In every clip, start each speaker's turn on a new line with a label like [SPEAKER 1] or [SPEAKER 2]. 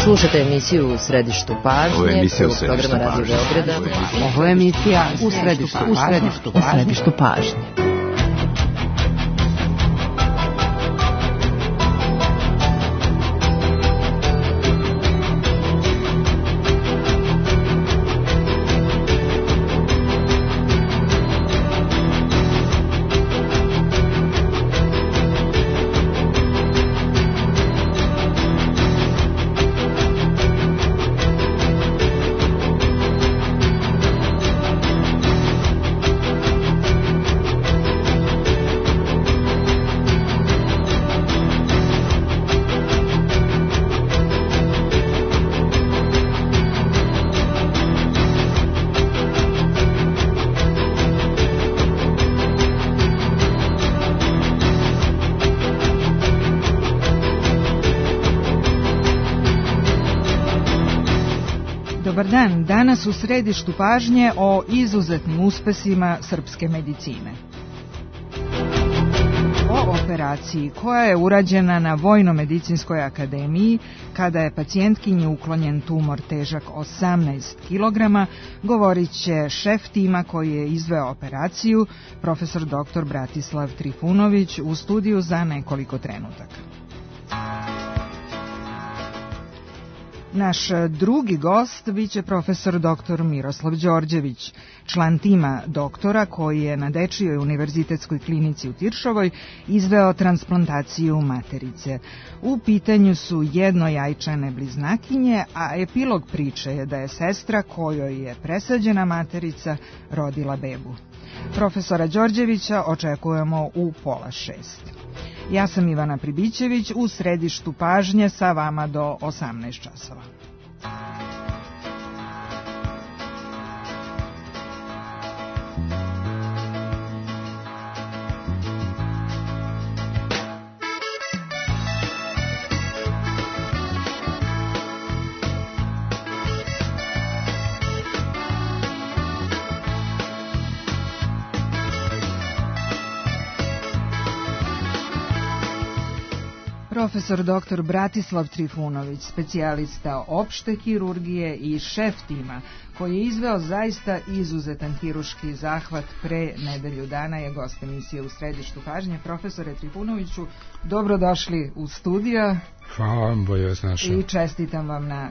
[SPEAKER 1] Slušate emisiju U središtu pažnje.
[SPEAKER 2] Ovo je emisija
[SPEAKER 1] U programa Radio Beograda.
[SPEAKER 3] Ovo je emisija U središtu pažnje.
[SPEAKER 4] Dobar dan, danas u središtu pažnje o izuzetnim uspesima srpske medicine. O operaciji koja je urađena na Vojno-medicinskoj akademiji kada je pacijentkinji uklonjen tumor težak 18 kg, govorit će šef tima koji je izveo operaciju, profesor dr. Bratislav Trifunović, u studiju za nekoliko trenutaka. Naš drugi gost biće profesor dr. Miroslav Đorđević, član tima doktora koji je na Dečijoj univerzitetskoj klinici u Tiršovoj izveo transplantaciju materice. U pitanju su jednojajčane bliznakinje, a epilog priče je da je sestra kojoj je presađena materica rodila bebu. Profesora Đorđevića očekujemo u 5:30. Ja sam Ivana Pribićević, u središtu pažnje sa vama do 18 časova. Profesor dr. Bratislav Trifunović, specijalista opšte hirurgije i šef tima koji je izveo zaista izuzetan hiruški zahvat pre nedelju dana, je gost emisije U središtu pažnje. Profesore Trifunoviću, dobrodošli u studio.
[SPEAKER 2] Hvala vam, bolje vas našao.
[SPEAKER 4] I čestitam vam na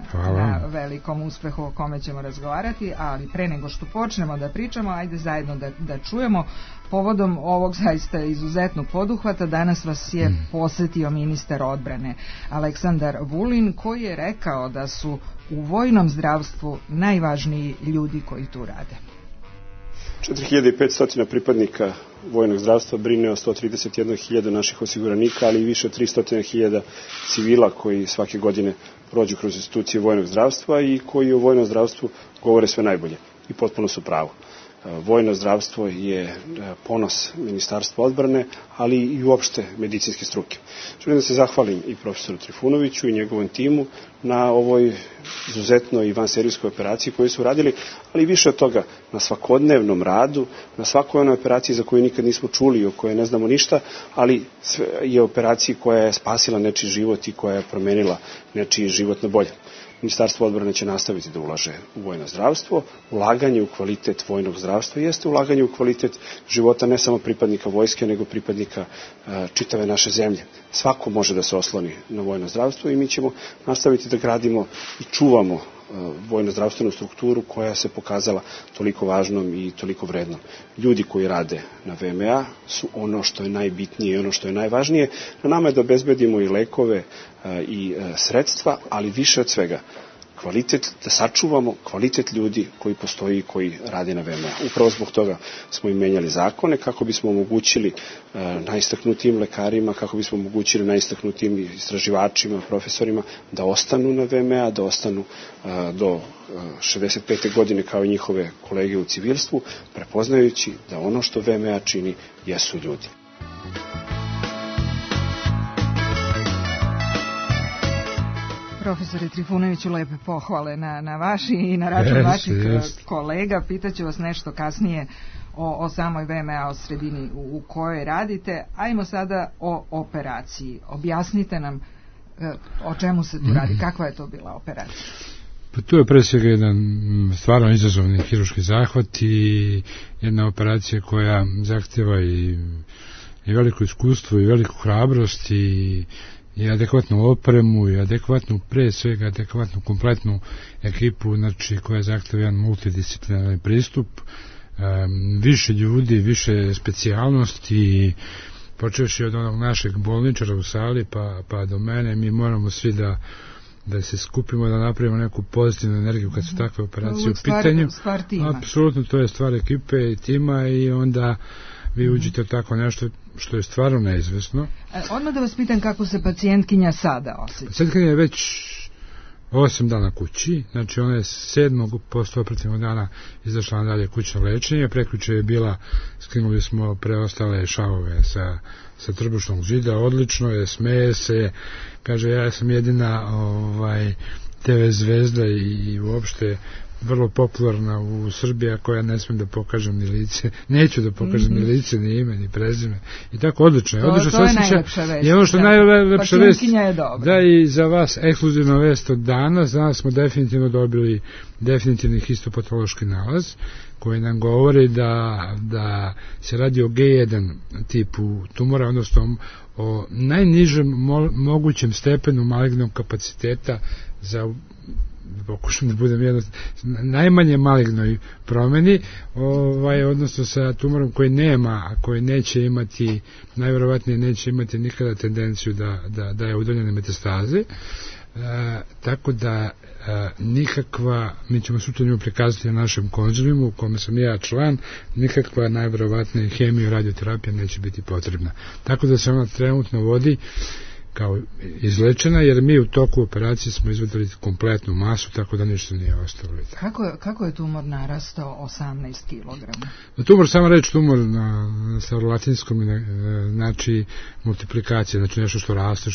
[SPEAKER 4] velikom uspehu o kome ćemo razgovarati, ali pre nego što počnemo da pričamo, ajde zajedno da čujemo. Povodom ovog zaista izuzetnog poduhvata danas vas je posetio ministar odbrane Aleksandar Vulin, koji je rekao da su u vojnom zdravstvu najvažniji ljudi koji tu rade.
[SPEAKER 5] 4500 pripadnika vojnog zdravstva brine o 131.000 naših osiguranika, ali i više od 300.000 civila koji svake godine prođu kroz institucije vojnog zdravstva i koji o vojnom zdravstvu govore sve najbolje i potpuno su pravo. Vojno zdravstvo je ponos Ministarstva odbrane, ali i uopšte medicinske struke. Želim da se zahvalim i profesoru Trifunoviću i njegovom timu na ovoj izuzetnoj i vanserijskoj operaciji koju su radili, ali više od toga na svakodnevnom radu, na svakoj onoj operaciji za koju nikad nismo čuli, o kojoj ne znamo ništa, ali je operaciji koja je spasila nečiji život i koja je promenila nečiji život na bolje. Ministarstvo odbrane će nastaviti da ulaže u vojno zdravstvo. Ulaganje u kvalitet vojnog zdravstva jeste ulaganje u kvalitet života ne samo pripadnika vojske, nego pripadnika čitave naše zemlje. Svako može da se osloni na vojno zdravstvo i mi ćemo nastaviti da gradimo i čuvamo vojno-zdravstvenu strukturu koja se pokazala toliko važnom i toliko vrednom. Ljudi koji rade na VMA su ono što je najbitnije i ono što je najvažnije. Na nama je da obezbedimo i lekove i sredstva, ali više od svega kvalitet, da sačuvamo kvalitet ljudi koji postoji i koji rade na VMA. Upravo zbog toga smo i menjali zakone kako bismo omogućili najistaknutijim lekarima, kako bismo omogućili najistaknutijim istraživačima, profesorima da ostanu na VMA, da ostanu do 65. godine kao i njihove kolege u civilstvu, prepoznajući da ono što VMA čini jesu ljudi.
[SPEAKER 4] Profesore Trifunoviću, lepe pohvale na vaši i na račun vaših kolega. Pitaću vas nešto kasnije o samoj VMA, o sredini u kojoj radite. Ajmo sada o operaciji. Objasnite nam O čemu se tu radi? Kakva je to bila operacija?
[SPEAKER 2] Pa to je pre svega jedan stvarno izazovni hirurški zahvat i jedna operacija koja zahtjeva i veliko iskustvo i veliku hrabrost i adekvatnu opremu i adekvatnu, pre svega adekvatnu kompletnu ekipu, znači koja zahtjeva jedan multidisciplinarni pristup, više ljudi, više specijalnosti, počevši od onog našeg bolničara u sali pa do mene. Mi moramo svi da se skupimo, da napravimo neku pozitivnu energiju kad su takve operacije u pitanju.
[SPEAKER 4] Stvar tima.
[SPEAKER 2] Apsolutno, to je stvar ekipe i tima i onda vi uđete u tako nešto što je stvarno neizvesno.
[SPEAKER 4] Odmah da vas pitam kako se pacijentkinja sada osjeća.
[SPEAKER 2] Pacijentkinja je već 8 dana kući, znači ona je 7. postoperativnog dana izašla na dalje kućno lečenje, prekjuče je bila, skinuli smo preostale šavove sa trbušnog žida, odlično je, smeje se, kaže ja sam jedina TV zvezda i uopšte vrlo popularna u Srbiji, koja ne smijem da pokažem ni lice, neću da pokažem ni lice, ni ime, ni prezime. I tako odlično je.
[SPEAKER 4] To je najlepša vest.
[SPEAKER 2] I ono što je najlepša vest,
[SPEAKER 4] je dobra.
[SPEAKER 2] da i za vas ekskluzivna vest od danas smo definitivno dobili definitivni histopatološki nalaz, koji nam govori da se radi o G1 tipu tumora, odnosno o najnižem mogućem stepenu malignog kapaciteta za pokušam da budem najmanje malignoj promeni, odnosno sa tumorom koji nema, a koji neće imati, najverovatnije neće imati nikada tendenciju da je udaljene metastaze, tako da nikakva, mi ćemo sutra nju prikazati na našem konzilijumu u kome sam ja član, nikakva najverovatnije hemija i radioterapija neće biti potrebna. Tako da se ona trenutno vodi kao izlečena, jer mi u toku operacije smo izvedeli kompletnu masu, tako da ništa nije ostalo.
[SPEAKER 4] Kako je tumor narastao 18 kg?
[SPEAKER 2] Tumor, sama reč tumor na starolatinskom znači multiplikacija, znači nešto što raste,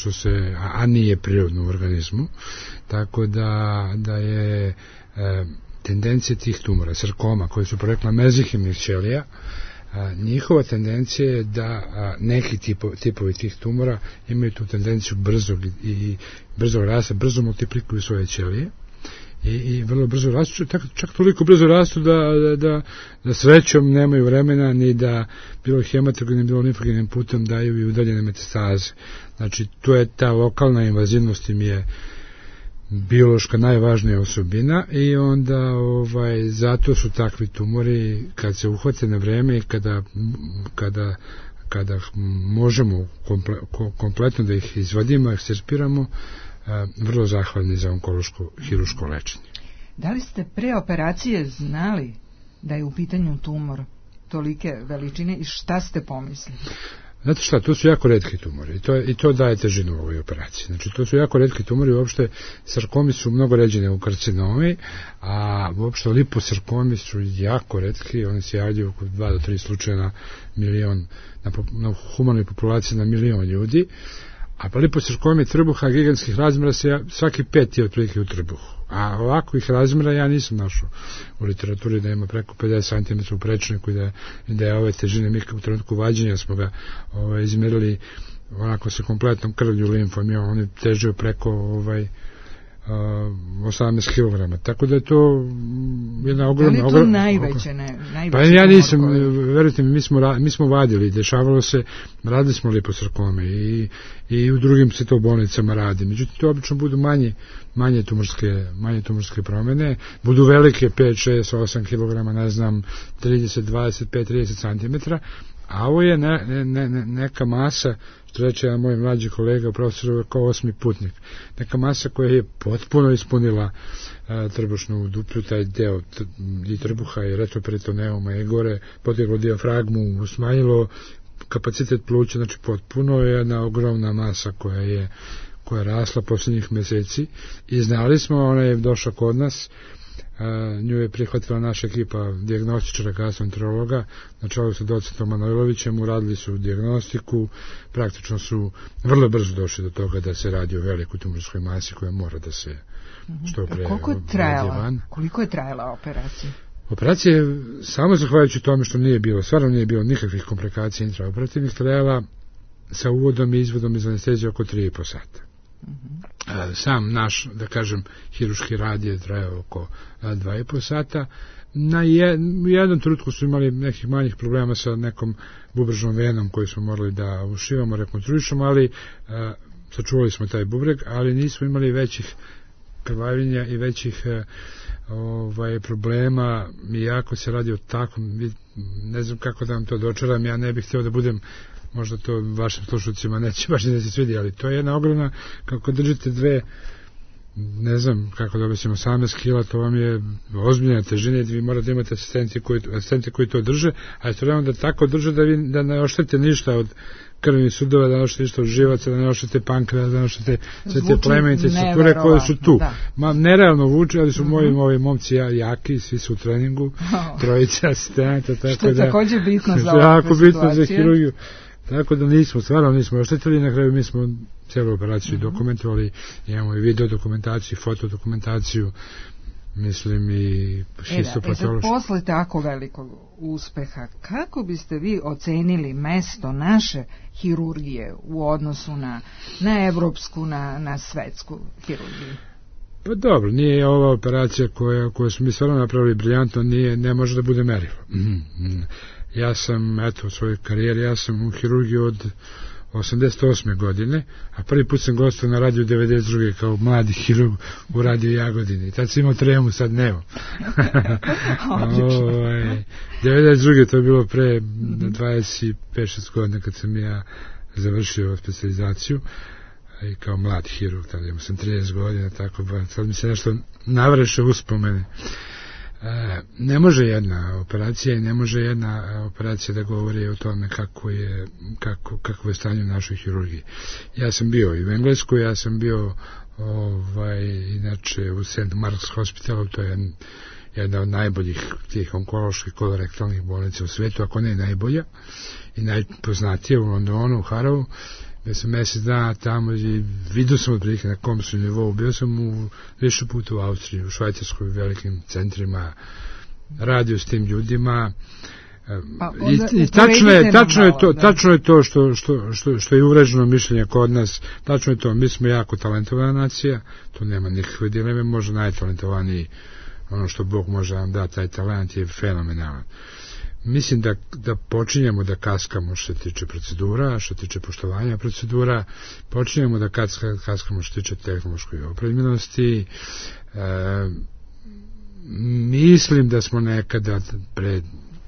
[SPEAKER 2] a nije prirodno u organizmu, tako da je tendencija tih tumora, sarkoma, koji su porekla mezihemnih ćelija, njihova tendencija je da neki tipovi tih tumora imaju tu tendenciju brzog rasta, brzo multiplikuju svoje ćelije i vrlo brzo rastu, čak toliko brzo rastu da srećom nemaju vremena ni da bilo hematogenim, bilo limfogenim putem daju i udaljene metastaze. Znači, to je ta lokalna invazivnost, im je biološka najvažnija osobina i onda zato su takvi tumori, kad se uhvate na vreme i kada možemo kompletno da ih izvadimo, ekstirpiramo, vrlo zahvalni za onkološko hiruško lečenje.
[SPEAKER 4] Da li ste pre operacije znali da je u pitanju tumor tolike veličine i šta ste pomislili?
[SPEAKER 2] Znate šta, to su jako retki tumori i to daje težinu u ovoj operaciji. Znači, to su jako retki tumori, uopšte sarkomi su mnogo ređene u karcinomi, a uopšte liposarkomi su jako retki, oni se javljaju oko 2 do 3 slučaja na milion, na humanoj populaciji na milion ljudi, a liposarkomi trbuha gigantskih razmjera se svaki 5 je otprilike u trbuhu. A ovakvih razmjera ja nisam našao u literaturi da ima preko 50 cm u prečniku i da je ove težine. Mi u trenutku vađenja smo ga izmjerili onako sa kompletnom krvlju, limfom, i on je težio preko 18 kg. Tako da je to jedna ogromna...
[SPEAKER 4] Da li je to najveće?
[SPEAKER 2] Pa ja nisam, verujte mi, mi smo vadili, dešavalo se, radili smo liposarkome i u drugim se to bolnicama radi. Međutim, to obično budu manje tumorske promjene, budu velike 5, 6, 8 kg, ne znam, 30, 25, 30 cm, a ovo je neka masa, što reče jedan moj mlađi kolega, profesor, kao 8. putnik. Neka masa koja je potpuno ispunila trbušnu duplju, taj deo i trbuha i retroperitoneuma i gore, poteglo dijafragmu, smanjilo kapacitet pluća, znači potpuno je jedna ogromna masa koja je rasla posljednjih mjeseci i znali smo, ona je došla kod nas, nju je prihvatila naša ekipa dijagnostičara gastroenterologa na čelu sa docentom Manojlovićem, uradili su dijagnostiku, praktično su vrlo brzo došli do toga da se radi o velikoj tumorskoj masi koja mora da se što pre...
[SPEAKER 4] Koliko je trajala operacija?
[SPEAKER 2] Operacija je, samo zahvaljujući tome što stvarno nije bilo nikakvih komplikacija intraoperativnih, trajala sa uvodom i izvodom iz anestezije oko 3,5 sata. Sam naš, da kažem, hiruški rad je trajao oko 2,5 sata. U jednom trenutku su imali nekih manjih problema sa nekom bubrežnom venom koju smo morali da ušivamo, rekonstruišemo, ali sačuvali smo taj bubreg, ali nismo imali većih krvavljenja i većih problema. Iako se radi o takvom, ne znam kako da vam to dočaram, ja ne bih htio da budem, možda to vašim slušalcima neće baš da se svidi, ali to je jedna ogromna, kako držite dve, ne znam kako da objasnim, 18 kila, to vam je ozbiljna težina i vi morate imati asistente koji to drže, a istovremeno da tako drže da ne oštete ništa od krvnih sudova, da ne oštete ništa od živaca, da ne oštete pankreas, da ne oštete sve te plemenite strukture koje su tu. Nerealno vuče, ali su moji momci jaki, svi su u treningu, trojica asistenta, tako
[SPEAKER 4] što je takođe bitno za
[SPEAKER 2] ovakve situacije. Za hirurgiju. Tako da stvarno nismo oštetili, na kraju mi smo cijelu operaciju dokumentovali, imamo i video dokumentaciju, foto dokumentaciju, mislim i histopatološku.
[SPEAKER 4] Posle tako velikog uspeha, kako biste vi ocenili mesto naše hirurgije u odnosu na evropsku, na svetsku hirurgiju?
[SPEAKER 2] Pa dobro, nije ova operacija koju smo mi stvarno napravili briljantno, ne može da bude merilo. Ja sam, u svojoj karijeri, ja sam u hirurgiji od 88. godine, a prvi put sam gostao na radiju 92. kao mladi hirurg u radiju Jagodini. Tad sam imao tremu, sad nemam. 92. to je bilo pre 25-6 godina kad sam ja završio specijalizaciju i kao mlad hirurg, tada imao sam 30 godina, tako sad mi se nešto navreše uspomene. Ne može jedna operacija i ne može jedna operacija da govori o tome kakvo je stanje u našoj hirurgiji. Ja sam bio i u Engleskoj, ja sam bio inače u St. Mark's Hospitalu, to je jedna od najboljih tih onkoloških kolorektalnih bolnica u svetu, ako ne najbolja i najpoznatija u Londonu, u Harrowu. Ja sam mjesec dana tamo i vidio sam otprilike na kom su nivou. Bio sam više puta u Austriji, u Švajcarskoj, u velikim centrima, radio s tim ljudima. I tačno je to što je uvreženo mišljenje kod nas. Tačno je to, mi smo jako talentovana nacija, to nema nikakve dileme, možda najtalentovaniji, ono što Bog može vam da, taj talent je fenomenalan. Mislim da počinjemo da kaskamo što se tiče procedura, što se tiče poštovanja procedura, počinjemo da kaskamo što se tiče tehnološkoj opremljenosti. Mislim da smo nekada pred,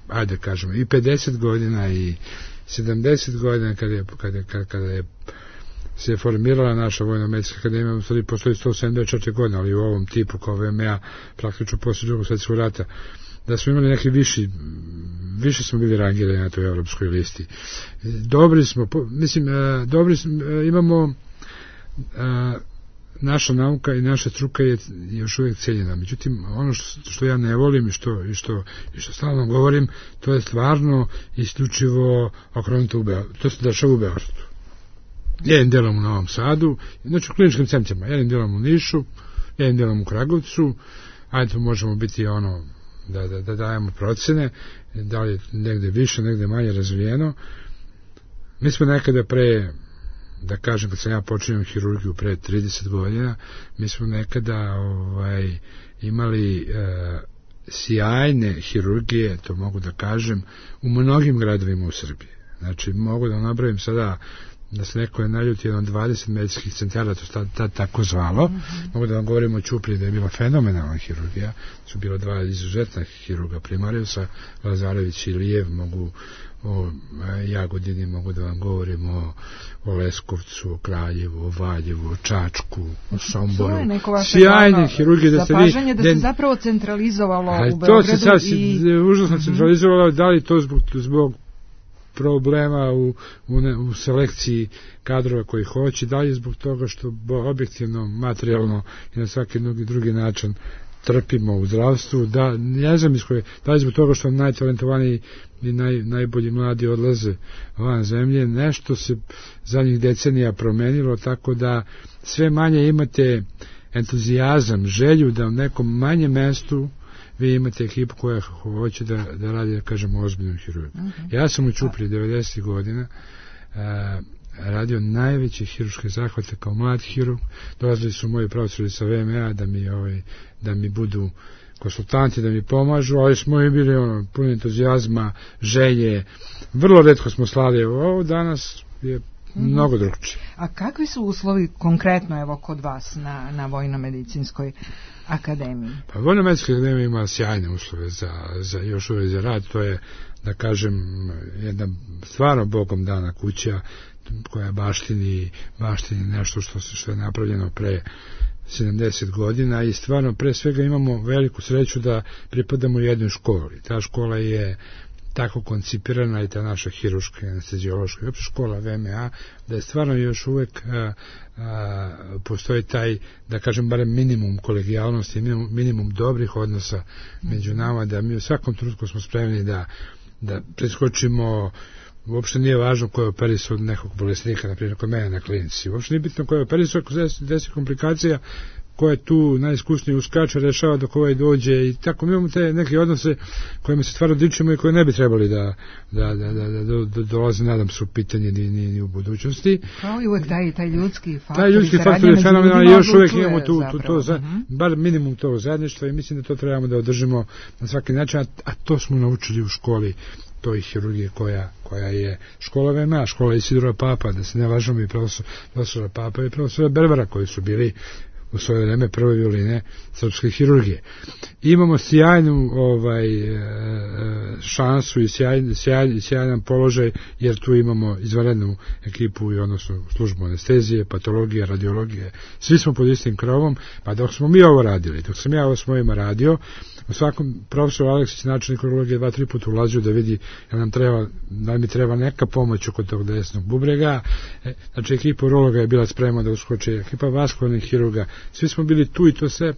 [SPEAKER 2] ajde kažemo, i 50 godina i 70 godina kada je se formirala naša vojno-medicinska akademija, postoji 174 godine, ali u ovom tipu kao VMA praktično posle Drugog svjetskog rata, da smo imali neki više smo bili rangirani na toj evropskoj listi. Dobri smo, imamo naša nauka i naša struka je još uvijek cijenjena. Međutim, ono što ja ne volim i što stalno govorim, to je stvarno isključivo okrenuto u Beogradu. To se dešava u Beogradu. Jednim delom u Novom Sadu, znači u kliničkim centrima, jednim delom u Nišu, jednim delom u Kragovcu, ajde možemo biti da dajemo procene, da li negde više, negde manje razvijeno. Mi smo nekada da kažem, kad sam ja počinio hirurgiju pre 30 godina, mi smo nekada imali sjajne hirurgije, to mogu da kažem, u mnogim gradovima u Srbiji. Znači, mogu da nabrojim sada da se neko je naljuti jedno 20 medicinskih centara, to tad tako zvalo. Mogu da vam govorim o Ćupriji da je bila fenomenalna hirurgija, su bilo dva izuzetna hirurga Primariusa, Lazarević i Lijev, mogu o Jagodini, mogu da vam govorim o Leskovcu, o Kraljevu, o Valjevu, o Čačku, o Somboru. Sjajne hirurgije
[SPEAKER 4] zapažanje da se zapravo centralizovalo u Beogradu.
[SPEAKER 2] To se sad užasno centralizovalo, da li to zbog problema u selekciji kadrova koji hoće, da li zbog toga što objektivno, materijalno i na svaki drugi način trpimo u zdravstvu, da ne znam da li zbog toga što najtalentovaniji i najbolji mladi odlaze van zemlje, nešto se zadnjih decenija promenilo, tako da sve manje imate entuzijazam, želju da u nekom manjem mestu vi imate ekipu koja hoće da radi, da kažemo, ozbiljnu hirurgiju. Ja sam u Ćupriji 90. godina radio najveće hiruške zahvate kao mlad hirurg. Dolazili su moji profesori sa VMA da mi budu konsultanti, da mi pomažu, ali smo i bili puni entuzijazma, želje. Vrlo retko smo slali. Ovo danas je mnogo drugčije.
[SPEAKER 4] A kakvi su uslovi konkretno evo kod vas na Vojno-medicinskoj akademiji?
[SPEAKER 2] Pa Vojno-medicinska akademija ima sjajne uslove za još uvijek za rad. To je, da kažem, jedna stvarno Bogom dana kuća koja baštini nešto što je napravljeno pre 70 godina i stvarno pre svega imamo veliku sreću da pripadamo jednoj školi. Ta škola je tako koncipirana i ta naša hiruška, anesteziološka i opšte škola VMA, da je stvarno još uvek postoji taj, da kažem, barem minimum kolegijalnosti, minimum dobrih odnosa među nama, da mi u svakom trenutku smo spremni da preskočimo. Uopšte nije važno ko je operisao nekog bolesnika, na primjer kod mene na klinici. Uopšte nije bitno ko je operisao, ako desi komplikacija, ko je tu najiskusniji uskače, rešava dok ovaj dođe i tako. Mi imamo te neke odnose kojima se stvarno dičimo i koje ne bi trebali da dolaze, nadam se, u pitanje ni u budućnosti.
[SPEAKER 4] Kao i uvek taj ljudski faktor.
[SPEAKER 2] Taj ljudski faktor je fenomenalno i još uvek imamo tu bar minimum tog zajedništva i mislim da to trebamo da održimo na svaki način, a to smo naučili u školi toj hirurgije koja je škola VMA, škola Isidora Papa, da se ne važemo i profesora Papa i profesora Berbera koji su bili u svoje vreme prve violine srpske hirurgije. Imamo sjajnu šansu i sjajan položaj, jer tu imamo izvanrednu ekipu i odnosno službu anestezije, patologije, radiologije. Svi smo pod istim krovom, pa dok smo mi ovo radili, dok sam ja ovo s mojima radio, u svakom profesor Aleksić, načelnik urologije, 2-3 puta ulazio da vidi da mi treba neka pomoć oko tog desnog bubrega. Znači, ekipa urologa je bila spremna da uskoči, ekipa vaskularnih hirurga, svi smo bili tu i to sve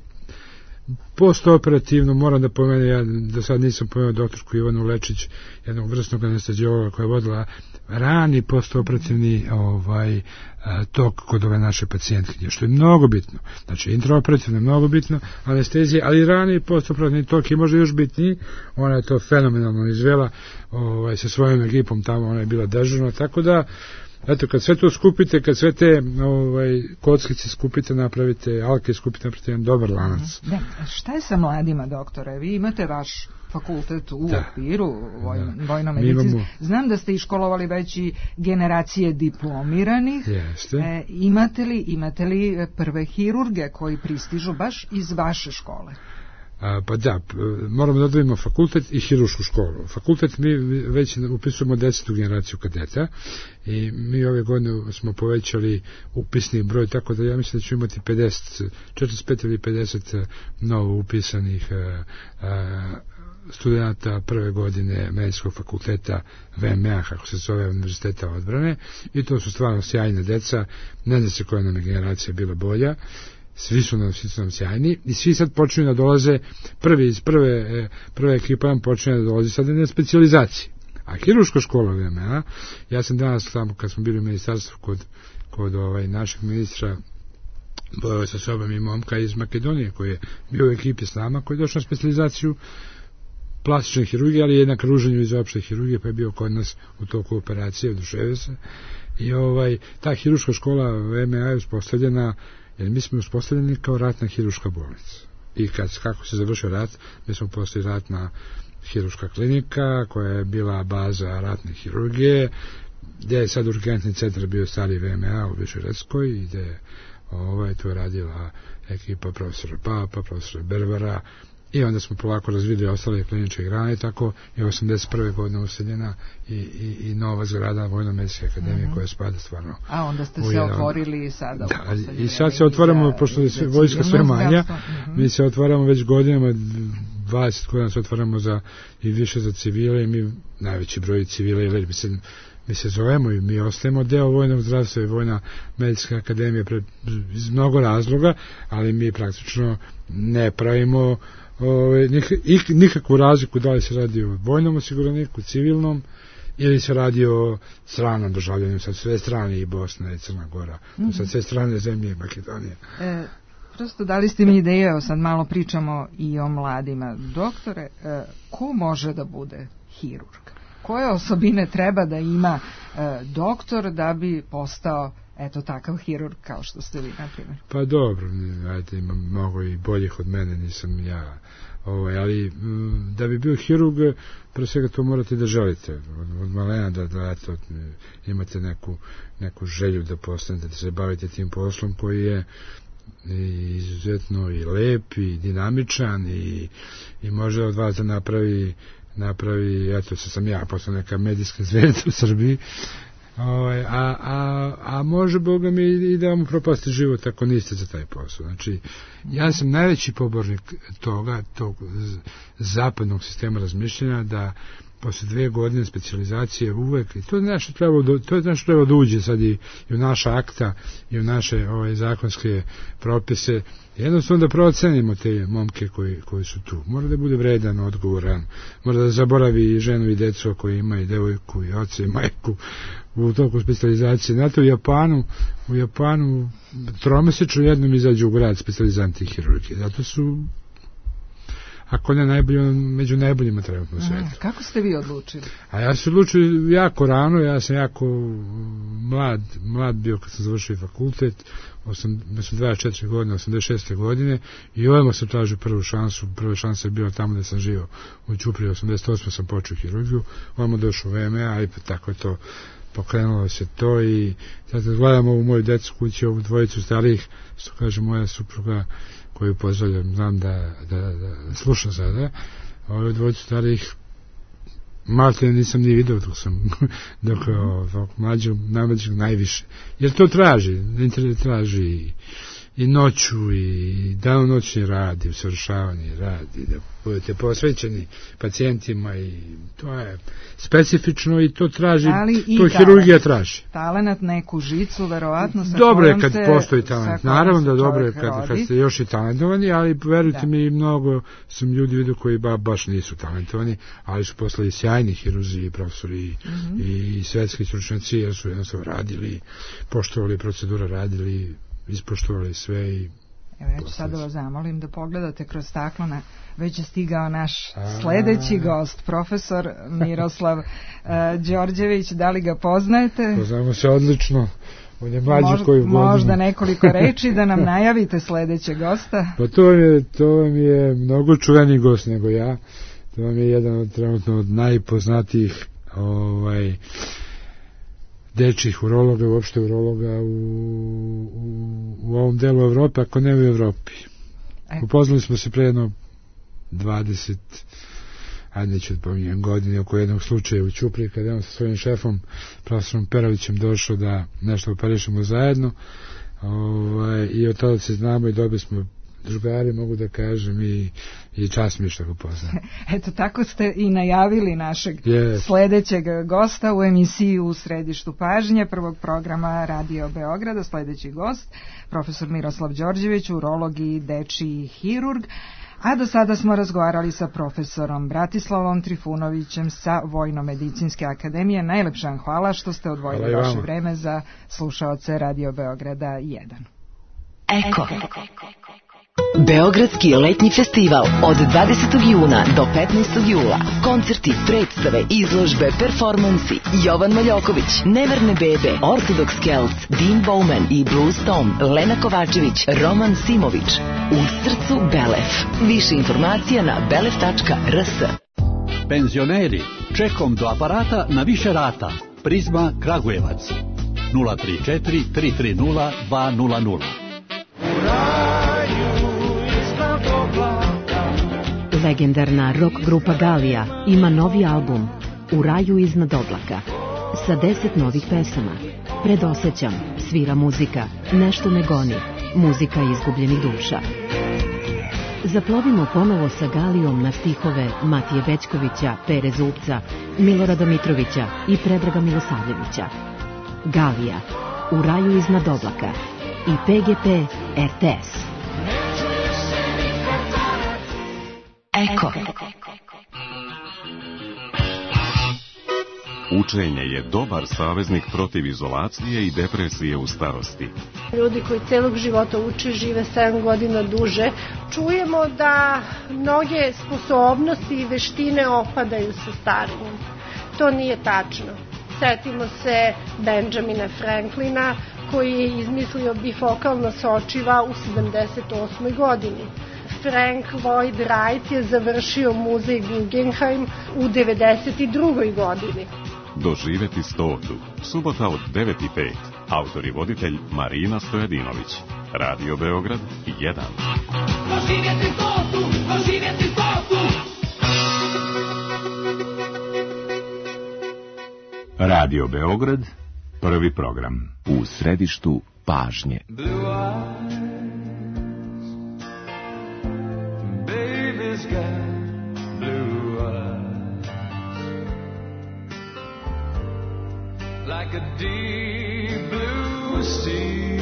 [SPEAKER 2] postoperativno. Moram da pomenem, ja do sad nisam pomenuo doktorsku Ivanu Lečić, jednog vrsnog anesteziologa koja je vodila rani postoperativni tok kod ove naše pacijentkinje, što je mnogo bitno. Znači, intraoperativno je mnogo bitno, anestezija, ali rani postoperativni tok je možda još bitniji. Ona je to fenomenalno izvela sa svojom ekipom tamo, ona je bila dežurna, tako da eto, kad sve to skupite, kad sve te kockice skupite, napravite, alke skupite, napravite jedan dobar lanac.
[SPEAKER 4] Šta je sa mladima, doktore? Vi imate vaš fakultet u okviru vojno-medicinske. Znam da ste iškolovali već i generacije diplomiranih.
[SPEAKER 2] Jeste.
[SPEAKER 4] Imate li prve hirurge koji pristižu baš iz vaše škole?
[SPEAKER 2] Pa da, moramo da odvojimo fakultet i hirušku školu. Fakultet mi već upisujemo 10. generaciju kadeta i mi ove godine smo povećali upisni broj, tako da ja mislim da ćemo imati 45 ili 50 novo upisanih studenta prve godine medicinskog fakulteta VMA, kako se zove, Univerziteta odbrane, i to su stvarno sjajne deca. Ne zna se koja nam je generacija bila bolja. Svi su nam sjajni i svi sad počinju da dolaze, prve ekipa nam počinju da dolazi sad na specijalizaciji. A hiruška škola VMA, ja sam danas tamo kad smo bili u ministarstvu kod našeg ministra, bojao sa sobom i momka iz Makedonije koji je bio u ekipi s nama, koji je došao na specijalizaciju plastične hirurgije, ali je na kruženju iz opšte hirurgije, pa je bio kod nas u toku operacije, oduševio se. I ta hiruška škola VMA je uspostavljena, jer mi smo uspostavljeni kao ratna hiruška bolnica. I kako se završio rat, mi smo postali ratna hiruška klinika, koja je bila baza ratne hirurgije, gdje je sad urgentni centar bio stari VMA u Višeredskoj, i gdje je to radila ekipa profesora Papa, profesora Berbera, i onda smo polako razvidili ostale kliničke grane, tako je 81. godine useljena i nova zgrada Vojno-medicinske akademije koja spada stvarno.
[SPEAKER 4] A onda ste se otvorili sada.
[SPEAKER 2] Da, i sad se otvaramo, pošto je vojska sve manja, mi se otvaramo već godinama, 20 godina se otvaramo i više za civile, i mi najveći broj civila, jer mi se zovemo i mi ostajemo deo vojnog zdravstva i Vojna medicinska akademija iz mnogo razloga, ali mi praktično ne pravimo nikakvu razliku da li se radi o vojnom osiguraniku, civilnom, ili se radi o stranom državljanju, sad sve strane, i Bosna i Crna Gora, sad sve strane zemlje i Makedonije.
[SPEAKER 4] Prosto dali ste mi ideje, sad malo pričamo i o mladima. Doktore, ko može da bude hirurg? koje osobine treba da ima doktor da bi postao takav hirurg kao što ste vi, na primjer?
[SPEAKER 2] Pa dobro, ajde, ima mnogo i boljih od mene, nisam ja, ali da bi bio hirurg, pre svega to morate da želite, od malena da imate neku želju da postanete, da se bavite tim poslom koji je izuzetno i lep i dinamičan i može od vas da napravi, eto se sam ja postao neka medijska zvezda u Srbiji, a može Boga mi i da vam propasti život ako niste za taj posao. Znači, ja sam najveći pobornik tog zapadnog sistema razmišljanja da posle 2 godine specijalizacije uvek, i to je nešto treba da uđe sad i u naša akta i u naše zakonske propise, jednostavno da procenimo te momke koji su tu. Mora da bude vredan, odgovoran, mora da zaboravi i ženu i decu koji ima i devojku i oca i majku u toku specijalizacije. Znate, u Japanu 3-mesečno jednom izađu u grad specijalizanti hirurgije. Zato su, ako ne najbolji, među najboljima trenutno u svijetu.
[SPEAKER 4] Kako ste vi odlučili?
[SPEAKER 2] A ja sam odlučio jako rano, ja sam jako mlad bio kad sam završio fakultet, 24 godine, 86. godine, i odmah sam tražio prvu šansu. Prva šansa je bila tamo da sam živio u Ćupriji, 88. sam počeo hirurgiju, odmah došao u VMA, i tako je to, pokrenulo se to. I sad gledam ovu moju decu kući, ovu dvojicu starijih, što kaže moja supruga, koju pozdravljam, znam da slušam sada, ove dvojicu starih malte nisam ni vidio dok mlađeg najviše, jer to traži, internet traži i noću i danonoćni rad i usavršavanje rad i da budete posvećeni pacijentima, i to je specifično i to traži, to hirurgija traži.
[SPEAKER 4] Talenat, neku žicu, verovatno sa
[SPEAKER 2] dobro je kad postoji talent, naravno da dobro je kad ste još i talentovani, ali verujte mi, mnogo sam ljudi vidio koji baš nisu talentovani, ali su postali sjajni hirurzi i profesori i svetski stručnjaci, jer su jednostavno radili, poštovali procedure, radili, ispoštovali sve. I
[SPEAKER 4] evo, ja ću sad da vas zamolim da pogledate kroz staklo, već je stigao naš sledeći gost, profesor Miroslav Đorđević. Da li ga poznajete?
[SPEAKER 2] Poznamo se odlično. On je mlađi
[SPEAKER 4] možda nekoliko reči da nam najavite sledećeg gosta.
[SPEAKER 2] Pa to vam je mnogo čuveni gost nego ja. To vam je jedan trenutno od najpoznatijih dečjih urologa, uopšte urologa u ovom delu Evrope, ako ne u Evropi. Upoznali smo se pre jedno 20, ajde neću da pominjem godine, oko jednog slučaja u Ćupriji, kada je on sa svojim šefom, profesorom Perovićem, došao da nešto operišemo zajedno, i od tada se znamo i dobili smo drugari, mogu da kažem, i čast mi što ga poznam.
[SPEAKER 4] Eto, tako ste i najavili našeg sledećeg gosta u emisiji U središtu pažnje prvog programa Radio Beograda. Sledeći gost, profesor Miroslav Đorđević, urolog i dečiji hirurg. A do sada smo razgovarali sa profesorom Bratislavom Trifunovićem sa Vojno-medicinske akademije. Najlepša vam hvala što ste odvojili vaše vreme za slušaoce Radio Beograda 1.
[SPEAKER 3] Eko. Beogradski letnji festival od 20. juna do 15. jula. Koncerti, predstave, izložbe, performansi. Jovan Maljoković, Neverne bebe, Orthodox Celts, Dean Bowman i Blues Tom, Lena Kovačević, Roman Simović. U srcu Belef. Više informacija na belef.rs.
[SPEAKER 6] Penzioneri, čekom do aparata na više rata. Prizma Kragujevac. 034 330 200.
[SPEAKER 7] Legendarna rock grupa Galija ima novi album U raju iznad oblaka sa 10 novih pesama. Predosećam, svira muzika, nešto me goni, muzika izgubljenih duša. Zaplovimo ponovo sa Galijom na stihove Matije Bećkovića, Pere Zupca, Milorada Mitrovića i Predraga Milosavljevića. Galija, U raju iznad oblaka i PGP RTS.
[SPEAKER 3] Eko.
[SPEAKER 8] Učenje je dobar saveznik protiv izolacije i depresije u starosti.
[SPEAKER 9] Ljudi koji celog života uče, žive 7 godina duže. Čujemo da mnoge sposobnosti i veštine opadaju sa starenjem. To nije tačno. Setimo se Benjamina Franklina koji je izmislio bifokalno sočiva u 78. godini. Frank Lloyd Wright je završio muzej Guggenheim u 92. godini.
[SPEAKER 8] Doživeti 100. Subota od 9:05. Autor i voditelj Marina Stojadinović. Radio Beograd 1.
[SPEAKER 10] Doživjeti 100. Doživjeti 100.
[SPEAKER 11] Radio Beograd, prvi program.
[SPEAKER 12] U središtu pažnje.
[SPEAKER 10] Like a deep blue sea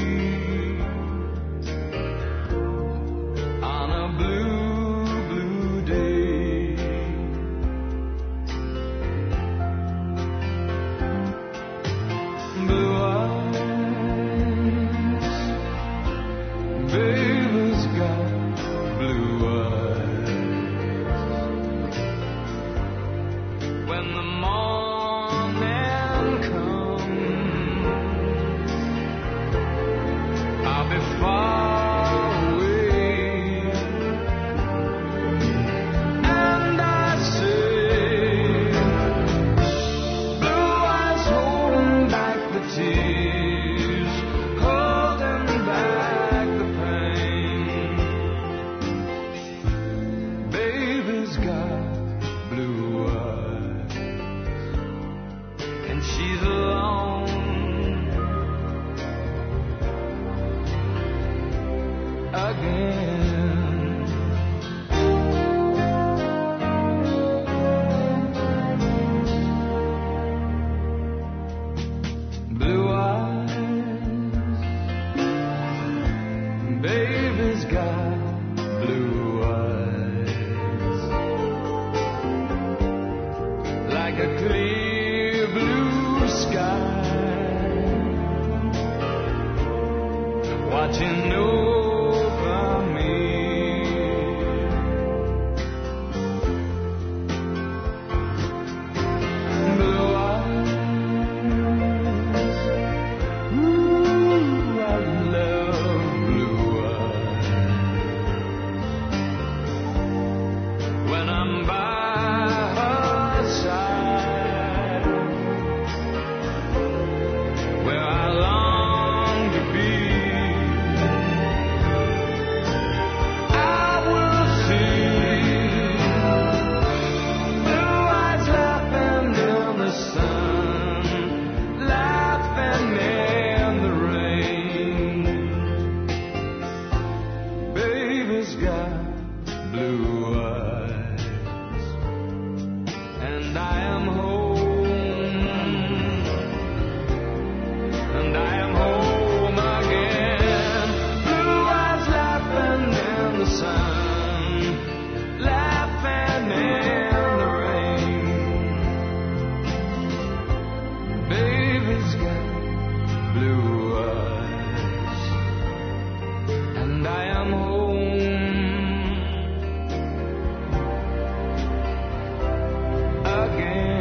[SPEAKER 10] on a blue, blue day. Blue eyes, baby's got blue eyes. When the morning comes, I'll be far away, and I say, blue eyes holding back the tears, holding back the pain. Baby's got blue eyes, and she's alone. Again, blue eyes, baby's got blue eyes, like a clear blue sky, watching over me. Blue eyes, ooh, I love blue eyes. When I'm by her side, where I long to be, I will see blue eyes laughing in the sun, laughing in the rain. Baby's got blue eyes, and I am home, and I am home again. Blue eyes laughing in the sun, laughing in the rain. Baby's got blue eyes, and I am home again.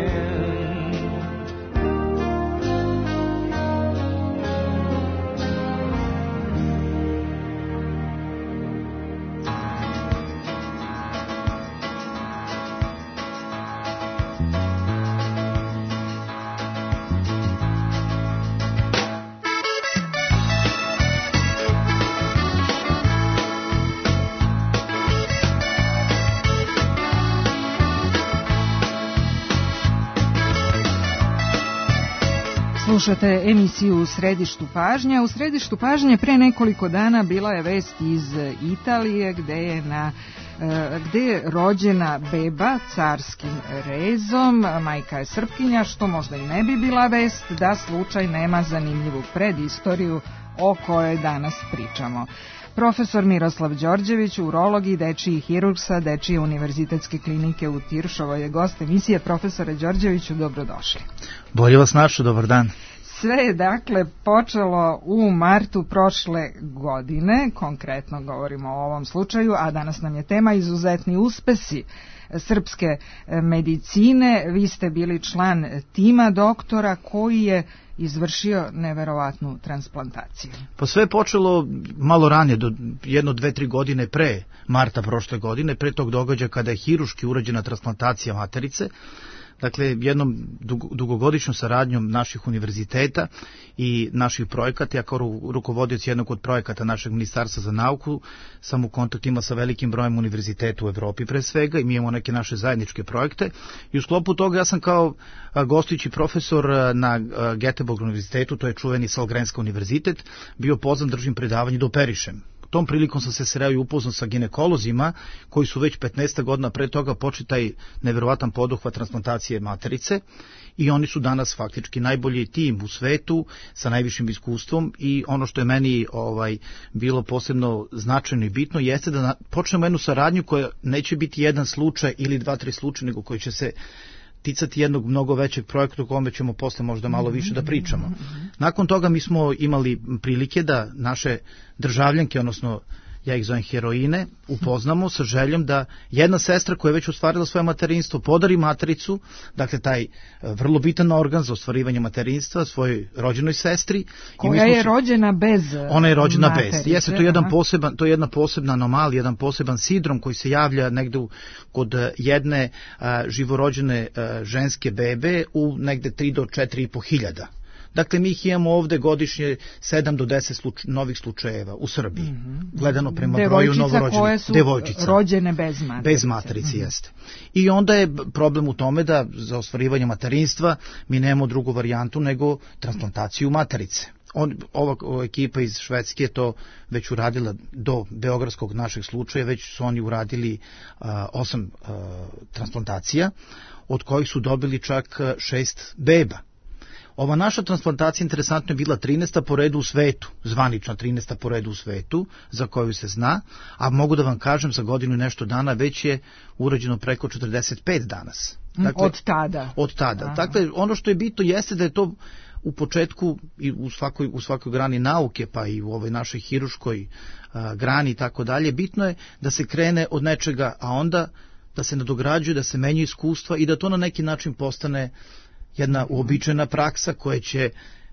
[SPEAKER 4] Slušate emisiju U središtu pažnje. U središtu pažnje pre nekoliko dana bila je vest iz Italije gde je rođena beba carskim rezom. Majka je Srpkinja, što možda i ne bi bila vest da slučaj nema zanimljivu predistoriju o kojoj danas pričamo. Profesor Miroslav Đorđević, urolog i dečiji hirurg sa Dečije univerzitetske klinike u Tiršovoj je gost emisije. Profesore Đorđeviću, dobrodošli.
[SPEAKER 13] Bolje vas našao, dobar dan.
[SPEAKER 4] Sve je dakle počelo u martu prošle godine, konkretno govorimo o ovom slučaju, a danas nam je tema izuzetni uspesi srpske medicine. Vi ste bili član tima doktora koji je izvršio neverovatnu transplantaciju.
[SPEAKER 13] Pa sve je počelo malo ranije, do 1-2-3 godine pre marta prošle godine, pre tog događaja kada je hiruški urađena transplantacija materice. Dakle, jednom dugogodišnjom saradnjom naših univerziteta i naših projekata, ja kao rukovodioc jednog od projekata našeg Ministarstva za nauku sam u kontaktima sa velikim brojem univerziteta u Evropi pre svega i mi imamo neke naše zajedničke projekte i u sklopu toga ja sam kao gostujući profesor na Göteborg univerzitetu, to je čuveni Sahlgrenska univerzitet, bio pozvan držim predavanje da operišem. Tom prilikom sam se sreo i upoznao sa ginekolozima koji su već 15 godina pre toga počeli taj neverovatan poduhvat transplantacije materice i oni su danas faktički najbolji tim u svetu sa najvišim iskustvom i ono što je meni bilo posebno značajno i bitno jeste da počnemo jednu saradnju koja neće biti jedan slučaj ili 2-3 slučaja, nego koji će se ticati jednog mnogo većeg projekta o kome ćemo posle možda malo više da pričamo. Nakon toga mi smo imali prilike da naše državljanke, odnosno ja ih zovem heroine, upoznamo sa željom da jedna sestra koja je već ostvarila svoje materinstvo podari matericu, dakle taj vrlo bitan organ za ostvarivanje materinstva svojoj rođenoj sestri.
[SPEAKER 4] Koja je rođena bez
[SPEAKER 13] Ona je rođena
[SPEAKER 4] materice.
[SPEAKER 13] bez. Jeste, to je jedna posebna anomalija, jedan poseban sindrom koji se javlja negde kod jedne živorođene ženske bebe u negde 3 do 4,5 hiljada. Dakle, mi ih imamo ovde godišnje 7 do 10 novih slučajeva u Srbiji, gledano prema broju novorođenih.
[SPEAKER 4] Koje su rođene bez materice.
[SPEAKER 13] Bez materice, jeste. I onda je problem u tome da za ostvarivanje materinstva mi nemamo drugu varijantu nego transplantaciju materice. Ova ekipa iz Švedske je to već uradila do beogradskog našeg slučaja, već su oni uradili 8 transplantacija, od kojih su dobili čak 6 beba. Ova naša transplantacija interesantno je bila 13. po redu u svetu, zvanična 13. po redu u svetu, za koju se zna, a mogu da vam kažem za godinu i nešto dana već je urađeno preko 45 danas. Dakle,
[SPEAKER 4] od tada.
[SPEAKER 13] Aha. Dakle, ono što je bitno jeste da je to u početku i u svakoj grani nauke, pa i u ovoj našoj hiruškoj grani i tako dalje, bitno je da se krene od nečega, a onda da se nadograđuje, da se menja iskustva i da to na neki način postane jedna uobičajena praksa koja će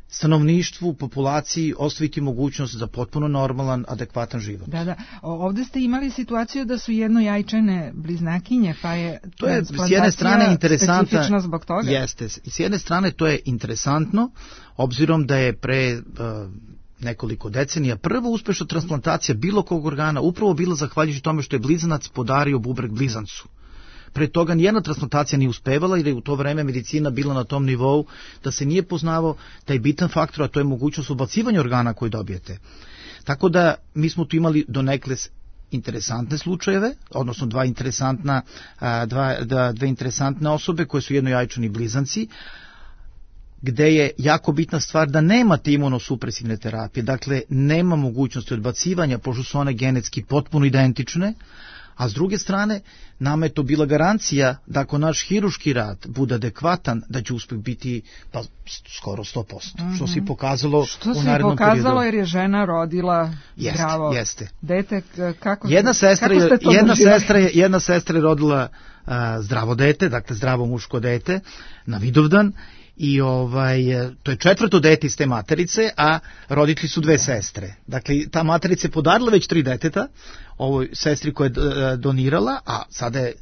[SPEAKER 13] stanovništvu, populaciji ostaviti mogućnost za potpuno normalan, adekvatan život.
[SPEAKER 4] Da. Ovde ste imali situaciju da su jednojajčane bliznakinje, pa je
[SPEAKER 13] to je s jedne strane
[SPEAKER 4] specifično zbog toga.
[SPEAKER 13] Jeste. S jedne strane to je interesantno, obzirom da je pre nekoliko decenija prva uspešna transplantacija bilo kog organa upravo bila zahvaljujući tome što je blizanac podario bubreg blizancu. Pre toga nijedna transplantacija nije uspevala jer je u to vreme medicina bila na tom nivou da se nije poznavao taj bitan faktor, a to je mogućnost ubacivanja organa koji dobijete. Tako da mi smo tu imali donekle interesantne slučajeve, odnosno dve interesantne osobe koje su jednojajčani blizanci, gde je jako bitna stvar da nemate imunosupresivne terapije, dakle nema mogućnosti odbacivanja pošto su one genetski potpuno identične, a s druge strane, nama je to bila garancija da ako naš hiruški rad bude adekvatan, da će uspeh biti skoro 100%, što se i pokazalo u narednom periodu.
[SPEAKER 4] Što se i pokazalo jer je žena rodila zdravo dete.
[SPEAKER 13] Jedna sestra je rodila zdravo dete, dakle zdravo muško dete na Vidovdan, i to je 4. dete iz te materice, a roditelji su 2 sestre. Dakle, ta materica je podarila već 3 deteta ovoj sestri koja je donirala, a sada je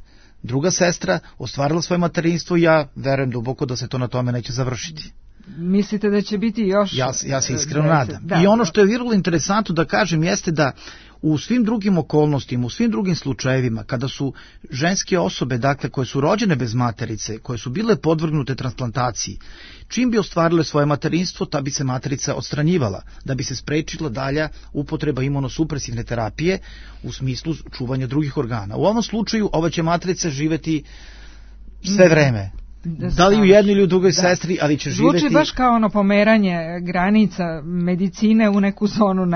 [SPEAKER 13] druga sestra ostvarila svoje materinstvo i ja verujem duboko da se to na tome neće završiti.
[SPEAKER 4] Mislite da će biti još?
[SPEAKER 13] Ja se iskreno nadam. I ono što je vrlo interesantno da kažem jeste da u svim drugim okolnostima, u svim drugim slučajevima, kada su ženske osobe, dakle, koje su rođene bez materice, koje su bile podvrgnute transplantaciji, čim bi ostvarile svoje materinstvo, ta bi se materica odstranjivala, da bi se sprečila dalja upotreba imunosupresivne terapije u smislu čuvanja drugih organa. U ovom slučaju ova će matrica živeti sve vreme. Da li u jednoj ili u drugoj sestri, ali će živjeti...
[SPEAKER 4] Zvuči baš kao ono pomeranje granica medicine u neku zonu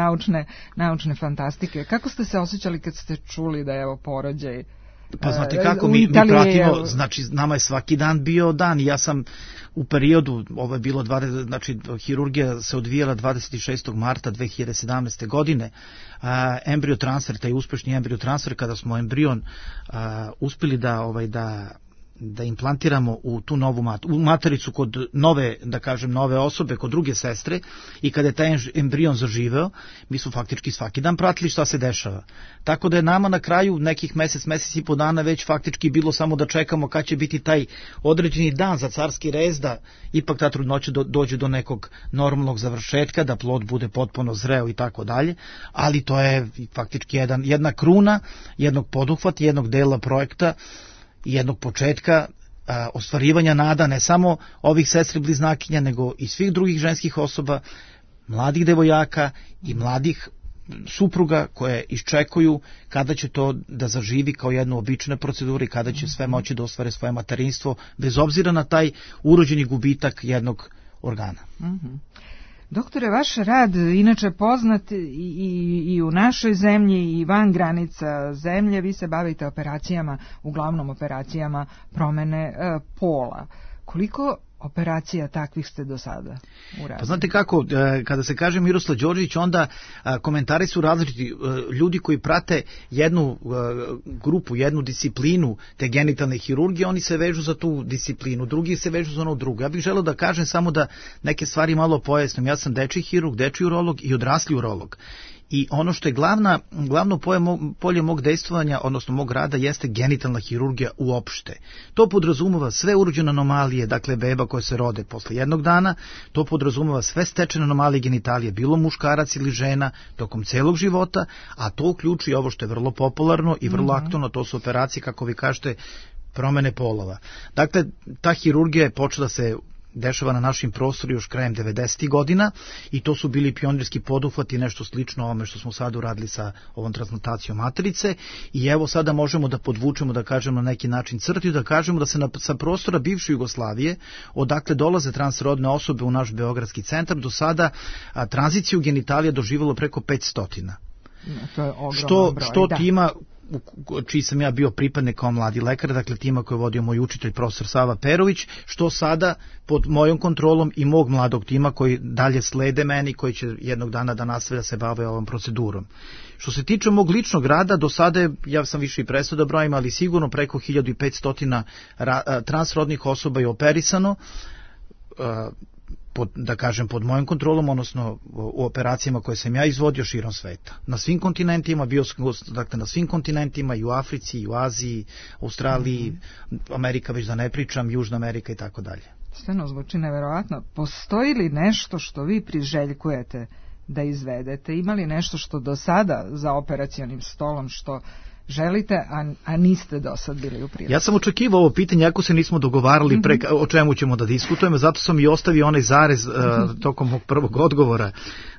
[SPEAKER 4] naučne fantastike. Kako ste se osjećali kad ste čuli da je ovo porođaj
[SPEAKER 13] Pa znate kako, mi pratimo, znači nama je svaki dan bio dan i ja sam u periodu, ovo je bilo, znači hirurgija se odvijala 26. marta 2017. godine, embriotransfer, taj uspešni embriotransfer, kada smo embrion uspeli da implantiramo u tu novu matericu kod nove, da kažem, nove osobe, kod druge sestre, i kada je taj embrion zaživeo, mi smo faktički svaki dan pratili šta se dešava. Tako da je nama na kraju nekih mesec i po dana već faktički bilo samo da čekamo kad će biti taj određeni dan za carski rez, da ipak ta trudnoća dođe do nekog normalnog završetka, da plod bude potpuno zreo i tako dalje, ali to je faktički jedna kruna, jednog poduhvata, jednog dela projekta, jednog početka ostvarivanja nada ne samo ovih sestri bliznakinja, nego i svih drugih ženskih osoba, mladih devojaka i mladih supruga koje iščekuju kada će to da zaživi kao jednu običnu proceduru i kada će sve moći da ostvare svoje materinstvo, bez obzira na taj urođeni gubitak jednog organa.
[SPEAKER 4] Doktore, vaš rad inače poznat i u našoj zemlji i van granica zemlje. Vi se bavite operacijama, uglavnom operacijama promene pola. Koliko operacija takvih ste do sada uradili?
[SPEAKER 13] Pa znate kako, kada se kaže Miroslav Đorđević, onda komentari su različiti. Ljudi koji prate jednu grupu, jednu disciplinu te genitalne hirurgije, oni se vežu za tu disciplinu, drugi se vežu za ono drugo. Ja bih želeo da kažem samo da neke stvari malo pojasnim. Ja sam dečiji hirurg, dečiji urolog i odrasli urolog. I ono što je glavno polje mog dejstvovanja, odnosno mog rada, jeste genitalna hirurgija uopšte. To podrazumeva sve urođene anomalije, dakle beba koje se rode posle jednog dana, to podrazumeva sve stečene anomalije genitalije, bilo muškarac ili žena, tokom celog života, a to uključuje ovo što je vrlo popularno i vrlo aktualno, to su operacije, kako vi kažete, promene polova. Dakle, ta hirurgija je počela se dešava na našim prostoru još krajem 90. godina i to su bili pionirski poduhvati, nešto slično ovome što smo sad uradili sa ovom transplantacijom materice, i evo sada možemo da podvučemo, da kažemo na neki način crtu i da kažemo da se sa prostora bivše Jugoslavije, odakle dolaze transrodne osobe u naš beogradski centar, do sada tranziciju genitalija doživjelo preko 500.
[SPEAKER 4] To je ogroman broj,
[SPEAKER 13] što tima čiji sam ja bio pripadnik kao mladi lekar, dakle tima koji je vodio moj učitelj profesor Sava Perović, što sada pod mojom kontrolom i mog mladog tima koji dalje slede meni, koji će jednog dana da nastavlja se bave ovom procedurom. Što se tiče mog ličnog rada, do sada ja sam više i prestao da brojim, ali sigurno preko 1500 transrodnih osoba je operisano, da kažem pod mojom kontrolom, odnosno u operacijama koje sam ja izvodio širom sveta. Na svim kontinentima, dakle na svim kontinentima, i u Africi, i u Aziji, Australiji, Amerika već da ne pričam, Južna Amerika i tako dalje.
[SPEAKER 4] Stvarno zvuči neverovatno. Postoji li nešto što vi priželjkujete da izvedete? Ima li nešto što do sada za operacionim stolom što želite, a niste do sad bili u prilici?
[SPEAKER 13] Ja sam očekivao ovo pitanje, ako se nismo dogovarali o čemu ćemo da diskutujemo, zato sam i ostavio onaj zarez tokom mog prvog odgovora.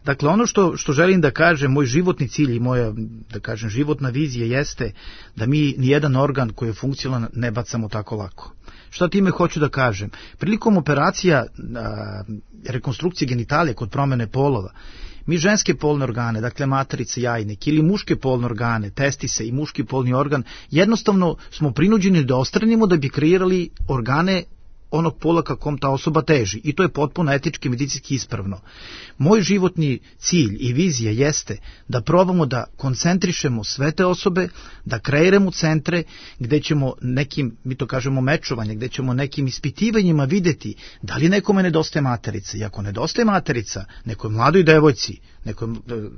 [SPEAKER 13] Dakle, ono što želim da kažem, moj životni cilj i moja, da kažem, životna vizija jeste da mi nijedan organ koji je funkcionalan ne bacamo tako lako. Šta time hoću da kažem? Prilikom operacija rekonstrukcije genitalije kod promene polova, mi ženske polne organe, dakle materice, jajnik, ili muške polne organe, testise i muški polni organ, jednostavno smo prinuđeni da odstranimo da bi kreirali organe onog pola kakom ta osoba teži. I to je potpuno etički, medicinski ispravno. Moj životni cilj i vizija jeste da probamo da koncentrišemo sve te osobe, da kreiramo centre gde ćemo nekim, mi to kažemo mečovanje, gde ćemo nekim ispitivanjima videti da li nekome nedostaje materica. I ako nedostaje materica, nekoj mladoj devojci, nekoj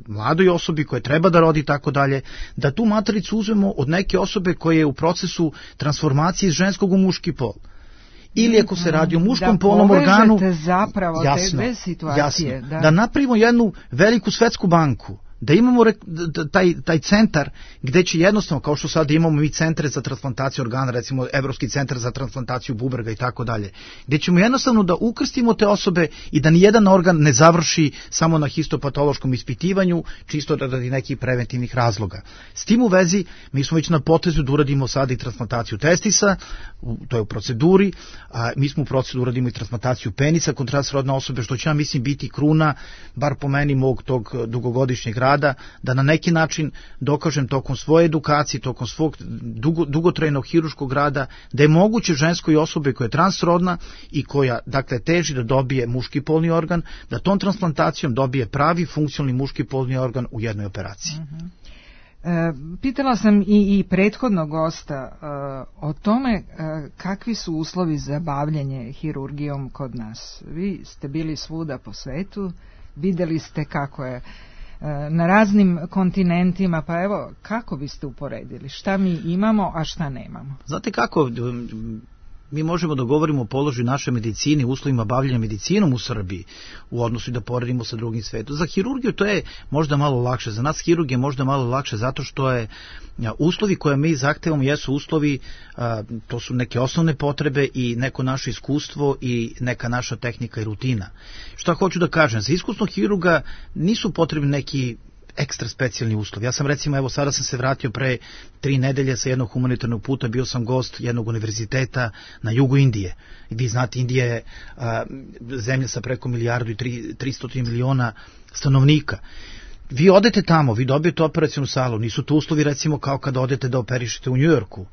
[SPEAKER 13] mladoj osobi koja treba da rodi i tako dalje, da tu matericu uzmemo od neke osobe koja je u procesu transformacije iz ženskog u muški pol. Ili ako se radi o muškom polnom organu,
[SPEAKER 4] zapravo te dve situacije,
[SPEAKER 13] da napravimo jednu veliku svetsku banku, da imamo taj centar gde će jednostavno, kao što sad imamo mi centre za transplantaciju organa, recimo Evropski centar za transplantaciju bubrega i tako dalje, gde ćemo jednostavno da ukrstimo te osobe i da nijedan organ ne završi samo na histopatološkom ispitivanju, čisto radi nekih preventivnih razloga. S tim u vezi, mi smo već na potezu da uradimo sada i transplantaciju testisa, to je u proceduri, a mi smo u proceduru uradimo i transplantaciju penisa kod transrodne osobe, što će, ja mislim, biti kruna, bar po meni, mog tog dugogodišnjeg rada, da na neki način dokažem tokom svoje edukacije, tokom svog dugotrajnog hiruškog rada, da je moguće ženskoj osobi koja je transrodna i koja, dakle, teži da dobije muški polni organ, da tom transplantacijom dobije pravi funkcionalni muški polni organ u jednoj operaciji.
[SPEAKER 4] Pitala sam i prethodnog gosta o tome kakvi su uslovi za bavljenje hirurgijom kod nas. Vi ste bili svuda po svetu, videli ste kako je na raznim kontinentima, pa evo, kako biste uporedili? Šta mi imamo, a šta nemamo?
[SPEAKER 13] Znate kako, mi možemo da govorimo o položaju naše medicine, uslovima bavljenja medicinom u Srbiji, u odnosu i da poredimo sa drugim svetom. Za hirurgiju to je možda malo lakše, za nas hirurg je možda malo lakše zato što je uslovi koje mi zahtevamo jesu uslovi, to su neke osnovne potrebe i neko naše iskustvo i neka naša tehnika i rutina. Šta hoću da kažem, za iskusnog hirurga nisu potrebni neki ekstra specijalni uslovi. Ja sam recimo, evo sada sam se vratio pre 3 nedelje sa jednog humanitarnog puta, bio sam gost jednog univerziteta na jugu Indije. I vi znate, Indija je zemlja sa preko 1.300 miliona stanovnika. Vi odete tamo, vi dobijete operacionu salu, nisu to uslovi recimo kao kada odete da operišete u Njujorku,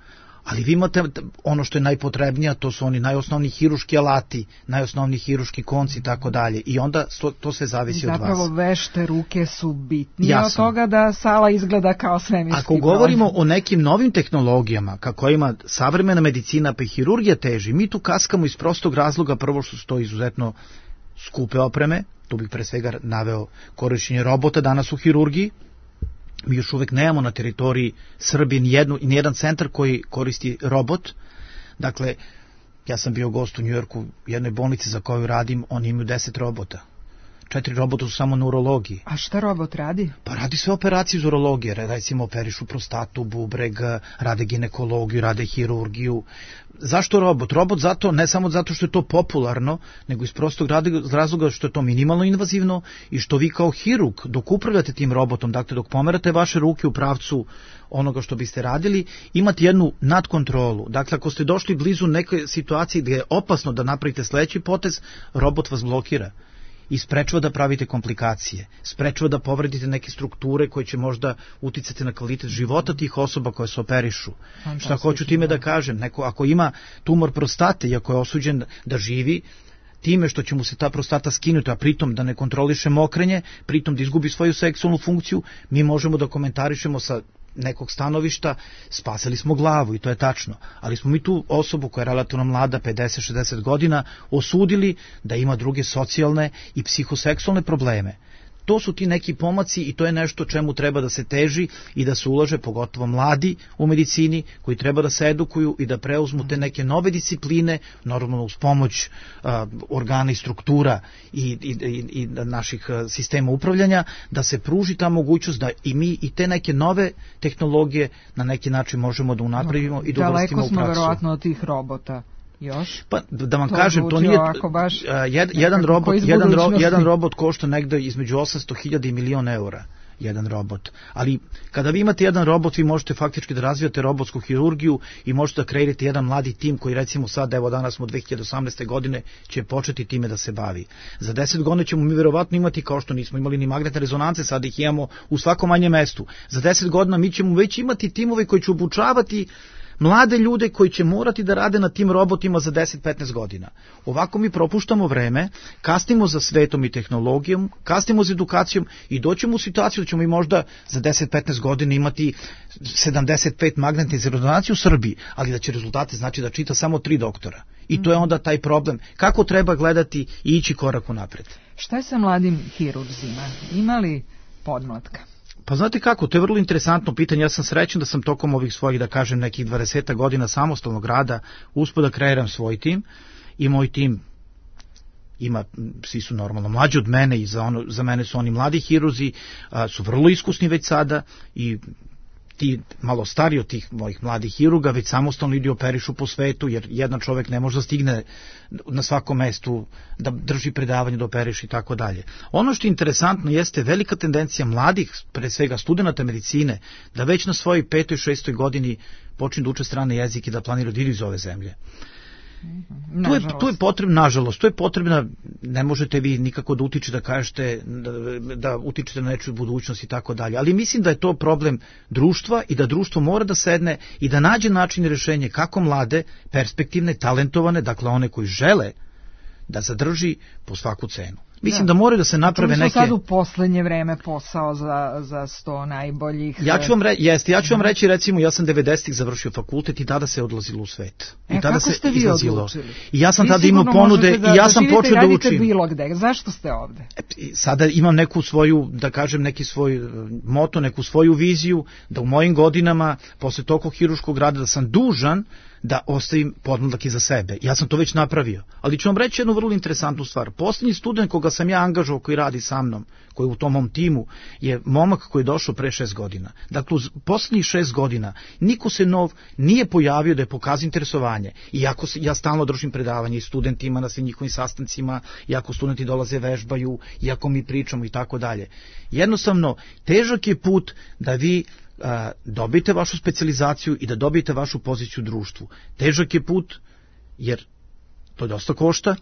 [SPEAKER 13] ali vi imate ono što je najpotrebnije, to su oni najosnovniji hiruški alati, najosnovniji hiruški konci i tako dalje. I onda to sve zavisi od vas.
[SPEAKER 4] Zapravo vešte ruke su bitnije od toga da sala izgleda kao svemirski.
[SPEAKER 13] Ako govorimo o nekim novim tehnologijama, kako ima savremena medicina pa i hirurgija teži, mi tu kaskamo iz prostog razloga, prvo što su to izuzetno skupe opreme, tu bih pre svega naveo korišćenje robota danas u hirurgiji. Mi još uvek nemamo na teritoriji Srbije ni jedan centar koji koristi robot. Dakle, ja sam bio gost u Njujorku, jednoj bolnici za koju radim, oni imaju 10 robota. 4 robota su samo na urologiji.
[SPEAKER 4] A šta robot radi?
[SPEAKER 13] Pa radi sve operacije iz urologije, recimo operišu prostatu, bubreg, rade ginekologiju, rade hirurgiju. Zašto robot? Robot zato, ne samo zato što je to popularno, nego iz prostog razloga što je to minimalno invazivno i što vi kao hirurg, dok upravljate tim robotom, dakle dok pomerate vaše ruke u pravcu onoga što biste radili, imate jednu nadkontrolu. Dakle, ako ste došli blizu neke situacije gdje je opasno da napravite sledeći potez, robot vas blokira i sprečava da pravite komplikacije, sprečava da povredite neke strukture koje će možda uticati na kvalitet života tih osoba koje se operišu. Šta hoću time da kažem? Neko ako ima tumor prostate i ako je osuđen da živi, time što će mu se ta prostata skinuti, a pritom da ne kontroliše mokrenje, pritom da izgubi svoju seksualnu funkciju, mi možemo da komentarišemo sa nekog stanovišta, spasili smo glavu i to je tačno, ali smo mi tu osobu koja je relativno mlada, 50-60 godina, osudili da ima druge socijalne i psihoseksualne probleme. To su ti neki pomaci i to je nešto čemu treba da se teži i da se ulaže, pogotovo mladi u medicini koji treba da se edukuju i da preuzmu te neke nove discipline, normalno uz pomoć organa i struktura i naših sistema upravljanja, da se pruži ta mogućnost da i mi i te neke nove tehnologije na neki način možemo da unapravimo i da uvrstimo u praksu.
[SPEAKER 4] Daleko smo verovatno od tih robota. Još?
[SPEAKER 13] Pa da vam kažem, to nije jedan robot košta negde između 800.000 i €1.000.000 jedan robot. Ali kada vi imate jedan robot, vi možete faktički da razvijate robotsku hirurgiju i možete da kreirate jedan mladi tim koji recimo sad, evo danas smo 2018. godine, će početi time da se bavi. Za 10 godina ćemo mi verovatno imati, kao što nismo imali ni magnetne rezonance, sad ih imamo u svakom manjem mestu. Za 10 godina mi ćemo već imati timove koji će obučavati mlade ljude koji će morati da rade na tim robotima za 10-15 godina. Ovako mi propuštamo vreme, kasnimo za svetom i tehnologijom, kasnimo za edukacijom i doćemo u situaciju da ćemo i možda za 10-15 godina imati 75 magnetnih rezonanci u Srbiji, ali da će rezultate znači da čita samo 3 doktora. I to je onda taj problem. Kako treba gledati i ići korak unapred?
[SPEAKER 4] Šta je sa mladim hirurzima? Ima li podmlatka?
[SPEAKER 13] Pa znate kako, to je vrlo interesantno pitanje. Ja sam srećan da sam tokom ovih svojih, da kažem, nekih 20 godina samostalnog rada uspio da kreiram svoj tim i moj tim ima, svi su normalno mlađi od mene i za mene su oni mladi hirurzi, su vrlo iskusni već sada i ti malo stariji od tih mojih mladih hirurga već samostalno idu operišu po svetu, jer jedan čovjek ne može da stigne na svakom mestu da drži predavanje, da operiš i tako dalje. Ono što je interesantno jeste velika tendencija mladih, pre svega studenata medicine, da već na svojoj 5. i 6. godini počnu da uče strane jezike i da planiraju da idu iz ove zemlje. Tu je potrebna, nažalost, to je potrebna, ne možete vi nikako da utičete, da kažete, da utičete na nečiju budućnost i tako dalje, ali mislim da je to problem društva i da društvo mora da sedne i da nađe način i rešenje kako mlade, perspektivne, talentovane, dakle one koji žele da zadrži po svaku cenu. Mislim da moraju da se naprave neke...
[SPEAKER 4] sad u poslednje vreme posao za 100 najboljih...
[SPEAKER 13] Ja ću vam reći, recimo, ja sam 90-ih završio fakultet i tada se odlazilo u svet. I tada
[SPEAKER 4] kako ste vi odlučili?
[SPEAKER 13] I ja sam tada imao ponude i ja sam počeo da učim.
[SPEAKER 4] Bilo gde. Zašto ste ovde?
[SPEAKER 13] Sada imam neku svoju, da kažem, neki svoj moto, neku svoju viziju, da u mojim godinama, posle toliko hirurškog rada, da sam dužan da ostavim podmladak iza sebe. Ja sam to već napravio. Ali ću vam reći jednu vrlo interesantnu stvar. Poslednji student koga sam ja angažovao, koji radi sa mnom, koji je u tom mom timu, je momak koji je došao pre 6 godina. Dakle, u poslednjih 6 godina niko se nov nije pojavio da je pokazao interesovanje. Iako ja stalno držim predavanje i studentima na svim njihovim sastancima, iako studenti dolaze vežbaju, iako mi pričamo i tako dalje. Jednostavno, težak je put da vi dobijete vašu specijalizaciju i da dobijete vašu poziciju u društvu. Težak je put, jer to dosta košta,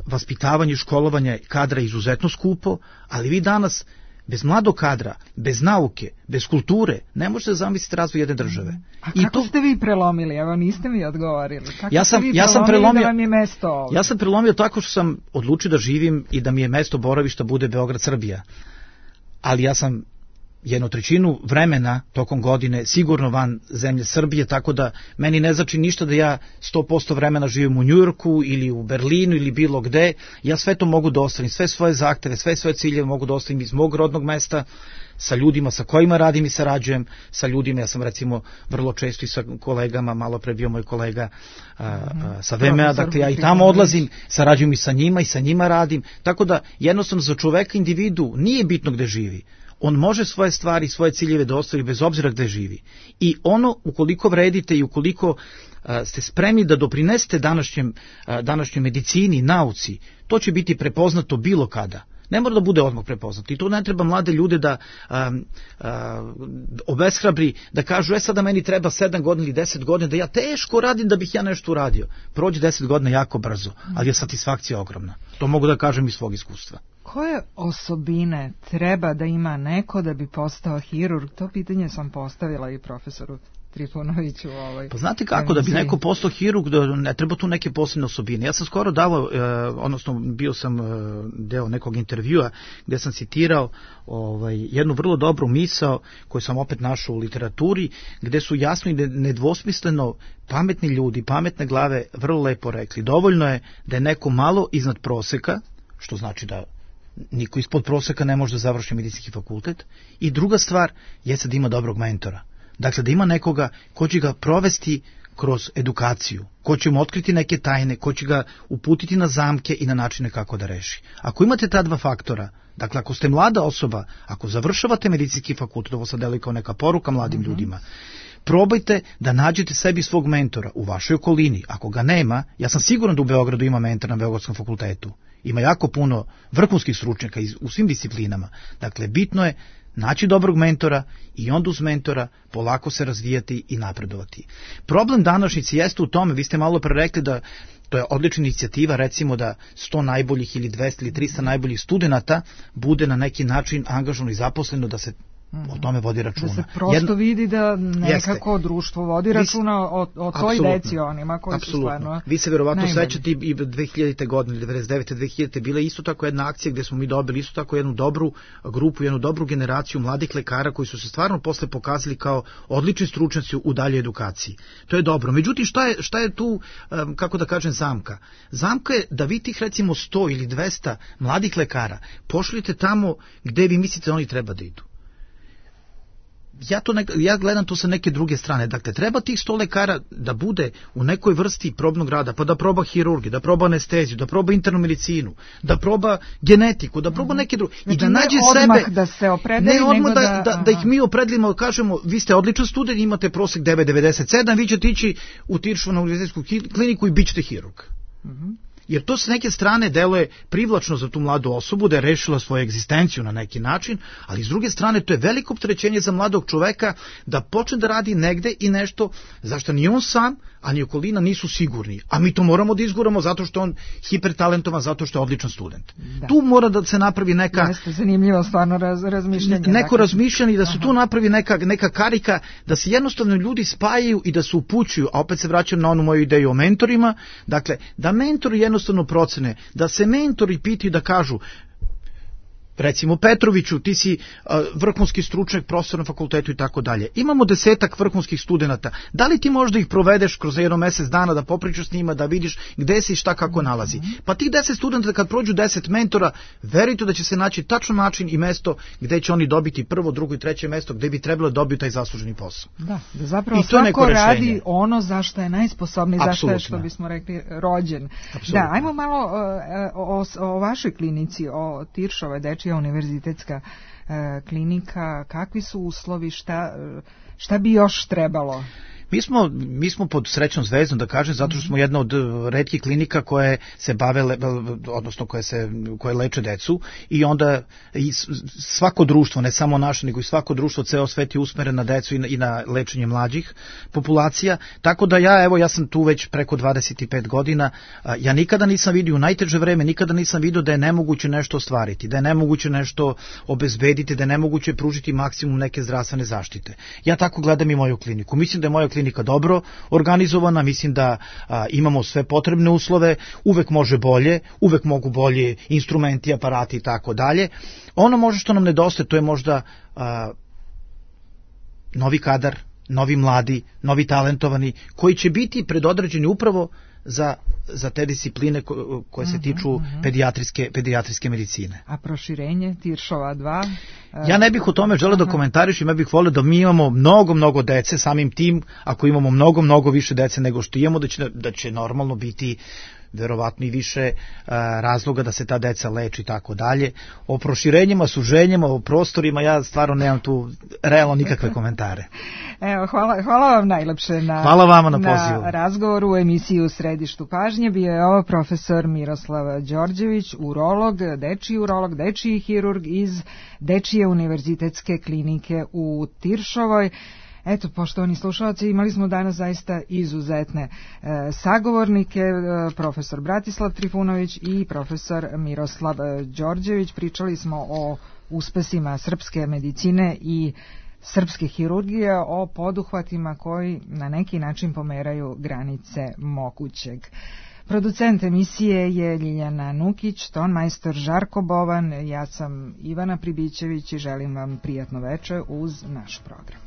[SPEAKER 13] vaspitavanje i školovanje kadra je izuzetno skupo, ali vi danas bez mladog kadra, bez nauke, bez kulture, ne možete zamisliti razvoj jedne države.
[SPEAKER 4] A kako ste vi prelomili? Evo, niste mi odgovorili. Kako
[SPEAKER 13] ja sam
[SPEAKER 4] prelomio da vam je mesto ovdje?
[SPEAKER 13] Ja sam prelomio tako što sam odlučio da živim i da mi je mesto boravišta bude Beograd, Srbija. Ali ja sam 1/3 vremena tokom godine sigurno van zemlje Srbije, tako da meni ne znači ništa da ja 100% vremena živim u Njujorku ili u Berlinu ili bilo gde. Ja sve to mogu da ostavim, sve svoje zahteve, sve svoje ciljeve mogu da ostavim iz mog rodnog mesta, sa ljudima sa kojima radim i sarađujem, sa ljudima, ja sam recimo vrlo često i sa kolegama, malo pre bio moj kolega sa VMA, dakle ja i tamo odlazim, sarađujem i sa njima radim, tako da jednostavno za čoveka individu nije bitno gde živi. On može svoje stvari, svoje ciljeve da ostavi bez obzira gde živi. I ono, ukoliko vredite i ukoliko ste spremni da doprinesete današnjoj medicini, nauci, to će biti prepoznato bilo kada. Ne mora da bude odmah prepoznato. I to ne treba mlade ljude da obeshrabri, da kažu, sada meni treba 7 godina ili 10 godina, da ja teško radim da bih ja nešto uradio. Prođe 10 godina jako brzo, ali je satisfakcija ogromna. To mogu da kažem iz svog iskustva.
[SPEAKER 4] Koje osobine treba da ima neko da bi postao hirurg? To pitanje sam postavila i profesoru Trifunoviću u ovoj.
[SPEAKER 13] Pa znate kako, da bi neko postao hirurg, ne treba tu neke posebne osobine. Ja sam skoro davao, odnosno bio sam deo nekog intervjua gde sam citirao jednu vrlo dobru misao koju sam opet našao u literaturi, gde su jasno i nedvosmisleno pametni ljudi, pametne glave vrlo lepo rekli. Dovoljno je da je neko malo iznad proseka, što znači da niko ispod proseka ne može da završi medicinski fakultet, i druga stvar jeste da ima dobrog mentora. Dakle, da ima nekoga ko će ga provesti kroz edukaciju, ko će mu otkriti neke tajne, ko će ga uputiti na zamke i na načine kako da reši. Ako imate ta dva faktora, dakle, ako ste mlada osoba, ako završavate medicinski fakultet, ovo sad deluje kao neka poruka mladim ljudima, probajte da nađete sebi svog mentora u vašoj okolini. Ako ga nema, ja sam siguran da u Beogradu ima mentor na Beogradskom fakultetu. Ima jako puno vrhunskih stručnjaka u svim disciplinama. Dakle, bitno je naći dobrog mentora i onda uz mentora polako se razvijati i napredovati. Problem današnjice jeste u tome, vi ste malo pre rekli da to je odlična inicijativa, recimo da 100 najboljih ili 200 ili 300 najboljih studenata bude na neki način angažovano i zaposleno, da se o tome vodi računa.
[SPEAKER 4] Da se prosto vidi da nekako društvo vodi računa o toj deci, onima koji su stvarno.
[SPEAKER 13] Vi se verovatno sećate i 2000. godine, 99. 2000. bila isto tako jedna akcija gde smo mi dobili isto tako jednu dobru grupu, jednu dobru generaciju mladih lekara koji su se stvarno posle pokazali kao odlični stručnjaci u daljoj edukaciji. To je dobro. Međutim, šta je tu, kako da kažem, zamka? Zamka je da vi tih recimo 100 ili 200 mladih lekara pošaljete tamo gde vi mislite da oni treba da idu. Ja gledam to sa neke druge strane. Dakle, treba tih 100 lekara da bude u nekoj vrsti probnog rada, pa da proba hirurgiju, da proba anesteziju, da proba internu medicinu, da proba genetiku, da proba neke druge. I da nađe sebe,
[SPEAKER 4] da se opredeli,
[SPEAKER 13] ne odmah da ih mi opredelimo, kažemo, vi ste odličan student, imate prosek 9,97, vi ćete ići u Tiršovu na univerzitetsku kliniku i bit ćete hirurg. jer to s neke strane deluje privlačno za tu mladu osobu da je rešila svoju egzistenciju na neki način, ali s druge strane to je veliko opterećenje za mladog čoveka da počne da radi negde i nešto zašto ni on sam, a ni okolina nisu sigurni. A mi to moramo da izguramo zato što on hipertalentovan, zato što je odličan student. Da. Tu mora da se napravi neka...
[SPEAKER 4] Jeste zanimljivo stvarno razmišljanje.
[SPEAKER 13] Neko razmišljanje i da se tu napravi neka karika, da se jednostavno ljudi spajaju i da se upućuju, a opet se vraćam na onu moju ideju o mentorima, dakle, da mentori jednostavno procene, da se mentori pitaju da kažu, recimo Petroviću, ti si vrhunski stručnjak, profesor na fakultetu i tako dalje. Imamo 10 vrhunskih studenata. Da li ti možda ih provedeš kroz jedno mesec dana da popričaš s njima, da vidiš gde si, šta, kako nalazi. Pa tih 10 studenta kad prođu 10 mentora, verujte da će se naći tačno način i mesto gde će oni dobiti prvo, drugo i treće mesto, gde bi trebalo da dobiju taj zasluženi posao.
[SPEAKER 4] Da zapravo svako radi ono za što je najsposobniji, za što je, što bismo rekli, rođen. Apsolutno. Da, ajmo malo o vašoj klinici, o Tiršovoj dečija univerzitetska klinika, kakvi su uslovi, šta bi još trebalo?
[SPEAKER 13] Mi smo pod srećnom zvezdom, da kažem, zato što smo jedna od retkih klinika koje se bave, odnosno koje leče decu, i onda i svako društvo, ne samo naše, nego i svako društvo, ceo svet je usmeren na decu i na lečenje mlađih populacija, tako da ja sam tu već preko 25 godina, ja nikada nisam vidio u najteže vreme, nikada nisam vidio da je nemoguće nešto ostvariti, da je nemoguće nešto obezbediti, da je nemoguće pružiti maksimum neke zdravstvene zaštite. Ja tako gledam i moju kliniku. Mislim da je moja klinika dobro organizovana, mislim da imamo sve potrebne uslove, uvek može bolje, uvek mogu bolje instrumenti, aparati i tako dalje. Ono može što nam nedostaje, to je možda novi kadar, novi mladi, novi talentovani, koji će biti predodređeni upravo za te discipline koje se tiču pedijatrijske medicine.
[SPEAKER 4] A proširenje Tiršova 2?
[SPEAKER 13] Ja ne bih o tome želeo da komentarišem, ja bih volio da mi imamo mnogo dece, samim tim, ako imamo mnogo više dece nego što imamo, da će normalno biti verovatno i više razloga da se ta deca leči i tako dalje. O proširenjima, suženjima, o prostorima, ja stvarno nemam tu realno nikakve komentare.
[SPEAKER 4] Evo, hvala vam najlepše
[SPEAKER 13] hvala vama na pozivu.
[SPEAKER 4] Na razgovoru u emisiji U središtu pažnje. Bio je ovo profesor Miroslav Đorđević, urolog, dečiji hirurg iz Dečije univerzitetske klinike u Tiršovoj. Eto, poštovani slušalci, imali smo danas zaista izuzetne sagovornike, profesor Bratislav Trifunović i profesor Miroslav Đorđević. Pričali smo o uspesima srpske medicine i srpske hirurgije, o poduhvatima koji na neki način pomeraju granice mogućeg. Producent emisije je Ljiljana Nukić, tonmajstor Žarko Bovan, ja sam Ivana Pribićević i želim vam prijatno veče uz naš program.